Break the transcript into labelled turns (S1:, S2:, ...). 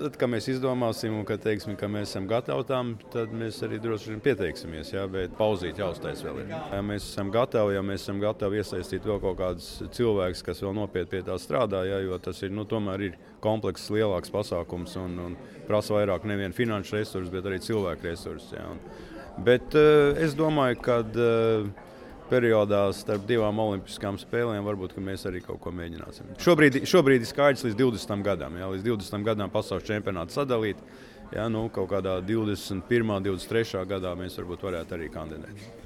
S1: tad, kad mēs izdomāsim un kad teiksim, ka mēs esam gatavi tam, tad mēs arī droši vien pieteiksimies. Jā, bet pauzīt jāuztais vēl ir. Ja mēs esam gatavi iesaistīt vēl kaut kādus cilvēkus, kas vēl nopietni pie tā strādā, jā, jo tas ir, tomēr ir komplekss, lielāks pasākums un prasa vairāk nevien finanšu resursus, bet arī cilvēku resursus. Jā. Bet es domāju, ka periodā starp divām olimpiskām spēlēm varbūt mēs arī kaut ko mēģināsim. Šobrīd ir skaidrs līdz 20 gadam. Jā, līdz 20 gadam pasaules čempionātu sadalīt. Jā, kaut kādā 21. 23. gadā mēs varbūt varētu arī kandidēt.